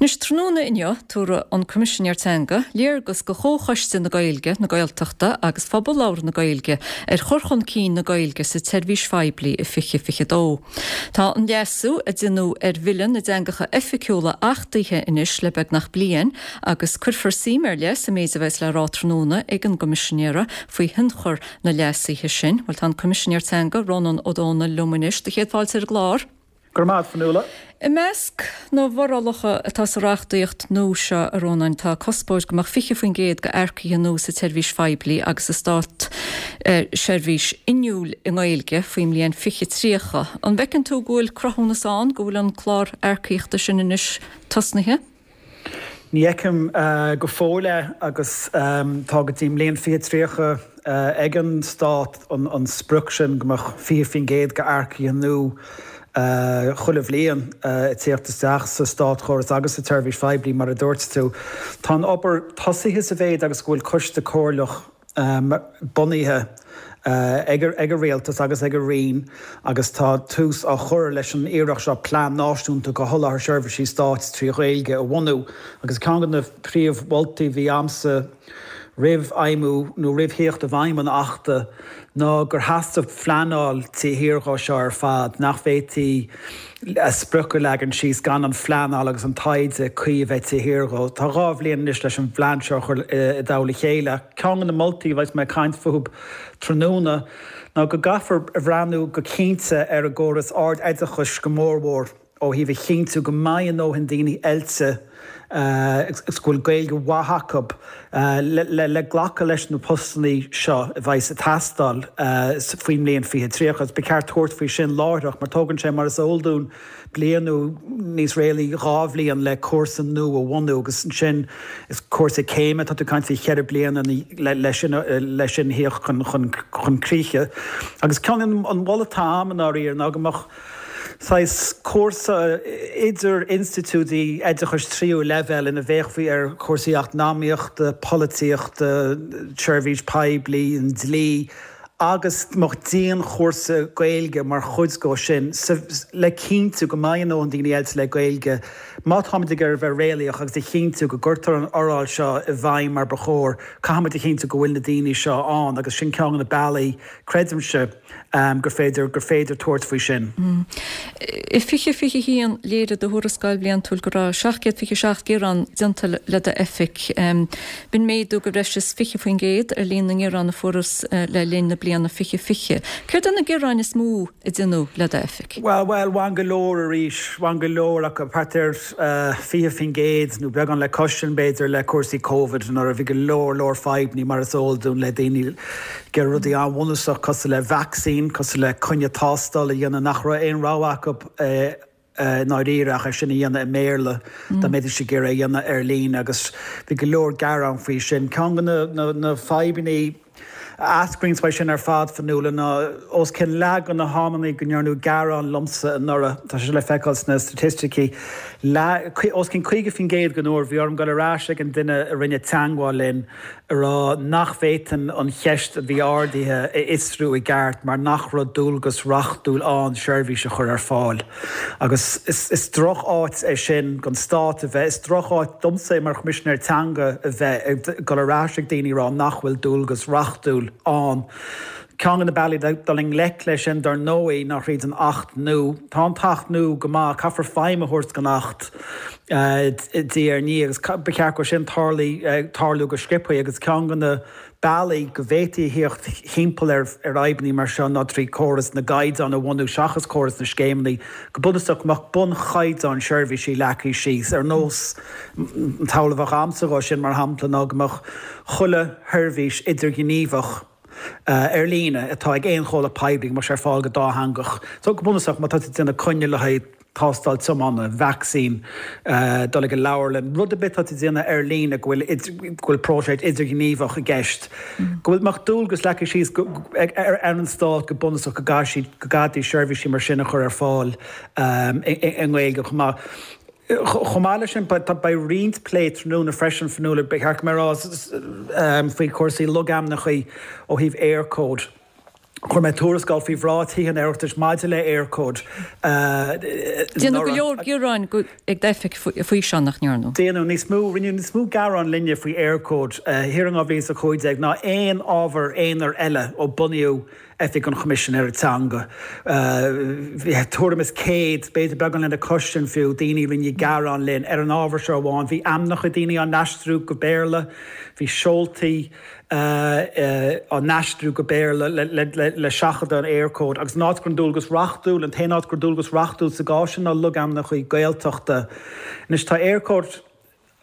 Anois, tráthnóna inniu, tabharfaidh an Coimisinéir Teanga léargas do Chomhchoiste na Gaeilge, na Gaeltachta agus Phobal Labhartha na Gaeilge ar chur chun cinn na Gaeilge sa tseirbhís phoiblí i 2022. Tá an leasú a deineadh ar Bhille na dTeangacha Oifigiúla achtaithe anois le beagnach bliain agus cuirfear suim ar leith sa méid a bheas le rá tráthnóna ag an gCoimisinéara faoi thionchar na leasuithe sin. Bhuel, tá an Coimisinéir Teanga, Rónán Ó Domhnaill liom anois. Do chéad fáilte ar an gclár. Go raibh maith agat, Fionnuala. I measc na bhforálacha atá sa reachtaíocht nua seo, a Rónáin, tá cuspóir go mbeadh 20% d'earcaithe nua sa tseirbhís phoiblí agus sa státseirbhís inniúil i nGaeilge faoin mbliain 2030. An bhfeiceann tú go bhfuil cruthúnas ann go bhfuil an clár earcaíochta sin anois tosnaithe? Ní fheicim go fóill é agus tá go dtí an mbliain 2030 ag an Stát an sprioc sin go mbeadh 20% d'earcaithe nua chuile bhliain ag tíocht isteach sa státchóras agus sa tseirbhís phoiblí mar a dúirt tú. Tá an obair tosaithe sa mhéid agus go bhfuil coiste comhairleach bunaithe ag an Rialtas agus ag an Roinn agus tá tús á chur leis an iarracht seo plean náisiúnta do sholáthar seirbhísí stáit trí Ghaeilge a bhunú agus ceann de na príomh-mholtaí a bhí a'msa roimh fheidhmiú nó roimh thíocht i bhfeidhm an Achta ná gur theastaigh phleanáil taobh thiar dhó seo ar fad, nach bhféadfaí sprioc a leagan síos gan an phleanáil agus an taighde cuí a bheith taobh thiar dhó. Tá 2 bhliain anois leis an bplean seo a chur i dtoll a chéile. Ceann de na moltaí a bheas mé ag caint fúthu tráthnóna ná go gcaithfear a bhreathnú go cinnte ar an gcóras ard-oideachais go mórmhór ó thaobh a chinntiú go mbeidh a ndóthain daoine oilte agus go bhfuil Gaeilge mhaith acu le glacadh leis na postanna seo a bheas ag teastáil faoin mbliain 2030 agus ba cheart tabhairt faoi sin láithreach mar tógann sé mar is eol dúinn bliain nó níos réalaí 2 bhliain le cúrsa nua a bhunú agus ansin is cúrsa céime tá tú ag caint faoi cheithre bliana le sin le sin a thíocht chun críche agus ceann an mholadh atá a'm i ndáiríre ná go mbeadh saghas cúrsa idir institiúidí oideachais tríú leibhéal ina bhféachfaí ar chúrsaí eacnamaíochta, polaitíochta, seirbhís poiblí, an dlí agus go mbeadh dianchúrsa Gaeilge mar chuid dhó sin le cinntiú go mbeidh a ndóthain daoine oilte le Gaeilge má táimid ag iarraidh a bheith réalaíoch agus a chinntiú go gcuirtear an fhoráil seo i bhfeidhm mar ba chóir, caithfimid a chinntiú go bhfuil na daoine seo ann agus sin ceann de na bealaí, creidimse. gur féidir gur féidir tabhairt faoi sin. I 2021, léirigh do thuarascáil bhliantúil go raibh 727 gearán déanta le d'oifig. B'in méadú de bhreis is 20% ar líon na ngearán a fuarthas le linn na bliana 2020. Céard é na gearáin is mó a déanadh le d'oifig? Bhuel, bhuel, bhain go leor arís, bhain go leor acu, thart ar 20% nó beagán le cois sin b'fhéidir le cúrsaí Covid nuair a bhí go leor leor fadhbanna mar is eol dúinn le daoine ag iarraidh rudaí an-bhunúsach cosúil le vacsaín, cosúil le coinne tástála a dhéanamh nach raibh aon rogha acu i ndáiríre ach é sin a dhéanamh i mBéarla dá mbeidís ag iarraidh é a dhéanamh ar líne agus bhí go leor gearán faoi sin. Ceann de na fadhbanna a eascraíonns uaidh sin ar fad, Fionnuala, ná os cionn leath de na hamanna go ndearnadh gearán liomsa anuraidh, tá sé le feiceáil sna staitisticí, leath, os cionn 50% den uair, bhí orm dul ar ais ag an duine a rinne teangmháil linn a rá nach bhféadfainn an cheist a bhí ardaithe a fhiosrú i gceart mar nach raibh dualgas reachtúil ann seirbhís a chur ar fáil. Agus is droch-áit é sin don Stát a bheith, is droch-áit domsa é mar Choimisinéir Teanga a bheith ag dul ar ais ag daoine ag rá nach bhfuil dualgas reachtúil ann. Ceann de na bealaí le dul i ngleic leis sin, dar ndóigh, ná thríd an Acht nua. Tá an tAcht nua go maith, caithfear feidhm a thabhairt don Acht diaidh ar ndiaidh agus ba cheart go sin tarlú go sciobtha agus ceann de na bealaí go bhféadfaí a thíocht thimpeall ar fhadhbanna mar seo ná trí chóras na gcaighdeán a bhunú seachas córas na scéimeanna. Go bunúsach, go mbeadh bunchaighdeán seirbhísí leagtha síos, ar nós an tsamhail a bheadh a'msa dhó sin, mar shampla, ná go mbeadh chuile sheirbhís idirghníomhach ar líne atá ag aon chomhlacht poiblí, go mbeadh sé ar fáil go dátheangach. So, go bunúsach, má tá tú ag déanamh coinne le haghaidh. tástáil tiomána, vacsaín, dul ag an leabharlann, rud ar bith atá tú ag déanamh ar líne go bhfuil go bhfuil próiseas idirghníomhach i gceist, go bhfuil mbeadh dualgas leagtha síos ar an stát go bunúsach go gcaithfidh siad go gcaithfidís seirbhísí mar sin a chur ar fáil i nGaeilge chomh maith. Chomh maith leis sin, beidh roinnt plé tráthnóna freisin, Fionnuala, ba cheart go mbeadh faoi chúrsaí logainmneacha ó thaobh Eircode. Chuir mé tuarascáil faoi bhráid Thithe an Oireachtais maidir le Eircode Déanadh go leor gearáin ag d'oifig faoi seo, nach ndearnadh? Déanadh níos mó, rinneadh níos mó gearán linne faoi Eircode thiar in 2015 ná aon ábhar aonair eile ó bunaíodh Oifig an Choimisinéara Teanga. Bhí tuairim is 100, b'fhéidir beagán lena chois sin fiú, daoine a rinne gearán linn ar an ábhar seo amháin. Bhí ainmneacha daoine á n-aistriú go Béarla, bhí seoltaí, á n-aistriú go Béarla le seachadadh an Eircode agus an áit go raibh an dualgas reachtúil, an t-aon áit go raibh dualgas reachtúil sa gcás sin ná logainmneacha Gaeltachta. Anois tá Eircode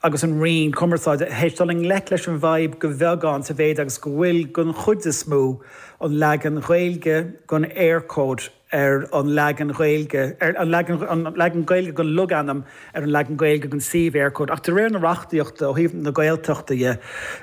agus an Roinn Cumarsáide théis dul i ngleic leis an bhfadhb go bheagán sa mhéid agus go bhfuil den chuid is mó an leagan Ghaeilge den Eircode ar an leagan Ghaeilge, ar an leagan, an leagan Gaeilge den logainm ar an leagan Gaeilge den suíomh Eircode. Ach de réir na reachtaíochta, ó thaobh na Gaeltachta dhe,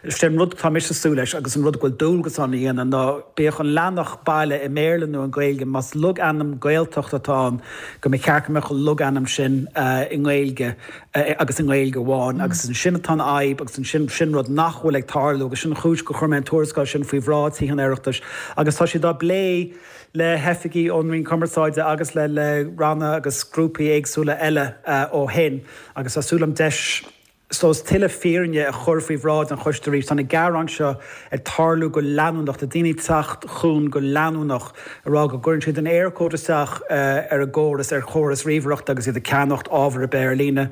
is é an rud atá mise ag súil leis agus an rud go bhfuil dualgas ann a dhéanamh ná bíodh an leathanach baile i mBéarla nó i nGaeilge, más logainm Gaeltachta atá ann, go mba cheart go mbeadh an logainm sin i nGaeilge agus i nGaeilge amháin. Agus ansin atá an fhadhb agus ansin, sin rud nach bhfuil ag tarlú agus sin an chúis gur chuir mé an tuarascáil sin faoi bhráid Thithe an Oireachtais agus tá siad á bplé le hoifigigh ón Roinn Cumarsáide agus le le ranna agus grúpaí éagsúla eile ó shin agus tá súil agam deis is dóigh tuilleadh fírinne a chur faoi bhráid an choiste arís. Tá na gearáin seo ag tarlú go leanúnach, tá daoine ag teacht chugainn go leanúnach ag rá go gcuireann siad an Eircode isteach ar a gcóras, ar chóras ríomhaireachta agus iad ag ceannacht ábhar ar bith ar líne.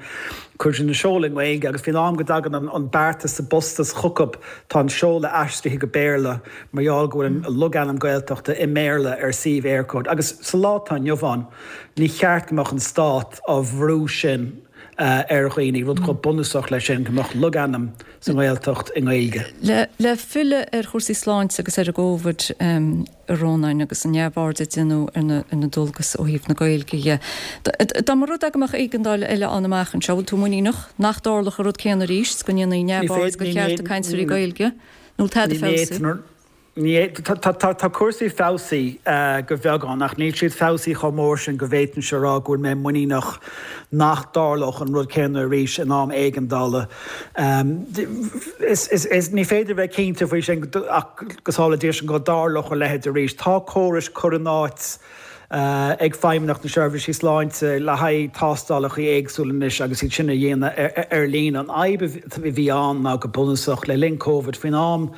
Cuireann siad an seoladh i nGaeilge agus faoin am go dtagann an beartas sa bpostas chucu tá an seoladh aistrithe go Béarla. Mar gheall go bhfuil an logainm Gaeltachta i mBéarla ar suíomh Eircode agus sa lá atá inniu ann, ní cheart go mbeadh an Stát á bhrú sin ar dhaoine, rud chomh bunúsach leis sin, go mbeadh logainm sa nGaeltacht i nGaeilge. Le filleadh ar chúrsaí sláinte agus ar an gCóvid, a Rónáin, agus an neamhaird a déanadh ar na dualgais ó thaobh na Gaeilge dhe, dá mba rud é go mbeadh éigeandáil eile ann amach anseo, bhfuil tú muiníneach nach dtarlódh an rud céanna arís, go ndéanfaí neamhaird de chearta cainteoirí Gaeilge? Nó tada feabhsaithe? Tá cúrsaí feabhsaithe go bheagán ach níl siad feabhsaithe chomh mór sin go bhféadfainnse a rá go bhfuil mé muiníneach nach dtarlódh an rud céanna arís in am éigeandála. Ní féidir a bheith cinnte faoi sin ach go sábhála Dia sinn go dtarlódh a leithéid arís. Tá córais curtha in áit ag Feidhmeannacht na Seirbhísí Sláinte le haghaidh tástálacha éagsúla anois agus iad sin a dhéanamh ar líne. An fhadhb a bhí ann ná go bunúsach, le linn Covid, faoin am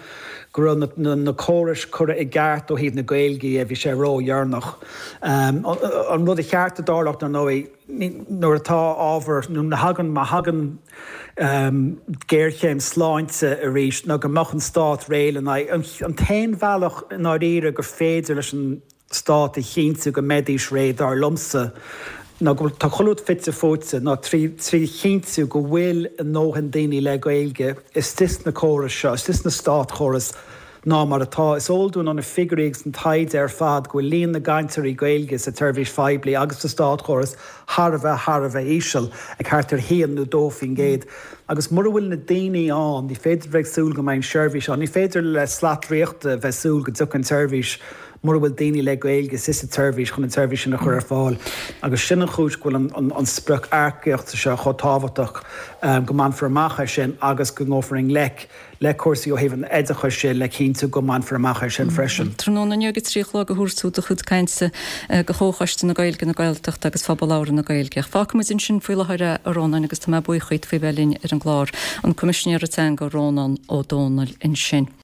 go raibh na córais curtha i gceart ó thaobh na Gaeilge dhe, bhí sé ródheireanach. An rud a cheart a dtarlódh, dar ndóigh, nuair atá ábhar, nó nuair a thagann, má thagann géarchéim sláinte arís, ná go mbeadh an Stát réidh lena aghaidh. An t-aon bhealach i ndáiríre gur féidir leis an Stát a chinntiú go mbeidís réidh, dar liomsa, ná go bhfuil, tá chuile rud fite fuaite, ná trí chinntiú go bhfuil a ndóthain daoine le Gaeilge istigh sna córais seo, istigh sna státchórais, ná mar atá. Is eol dúinn ó na figiúirí agus an taighde ar fad go bhfuil líon na gcainteoirí Gaeilge sa tseirbhís phoiblí agus sa státchóras thar a bheith, thar a bheith íseal, ag thart ar 1 nó 2%. Agus mura bhfuil na daoine ann, ní féidir a bheith ag súil go mbeidh an tseirbhís ann. Ní féidir le slat draíochta bheith ag súil go dtiocfaidh an tseirbhís mura bhfuil daoine le Gaeilge istigh sa tseirbhís chun an tseirbhís sin a chur ar fáil agus sin an chúis go bhfuil an sprioc earcaíochta seo chomh tábhachtach, go mbainfear amach é sin agus go ngabhfar i ngleic le cúrsaí ó thaobh an oideachais de le cinntiú go mbainfear amach é sin freisin. Tráthnóna inniu ag a 3 a chlog a thabharfaidh tú do chuid cainte do Chomhchoiste na Gaeilge, na Gaeltachta agus Phobal Labhartha na Gaeilge. Ach fágfaidh muid ansin faoi láthair é, a Rónáin, agus tá mé buíoch díot faoi bheith linn ar an gclár. An Coimisinéir Teanga Rónán Ó Domhnaill ansin.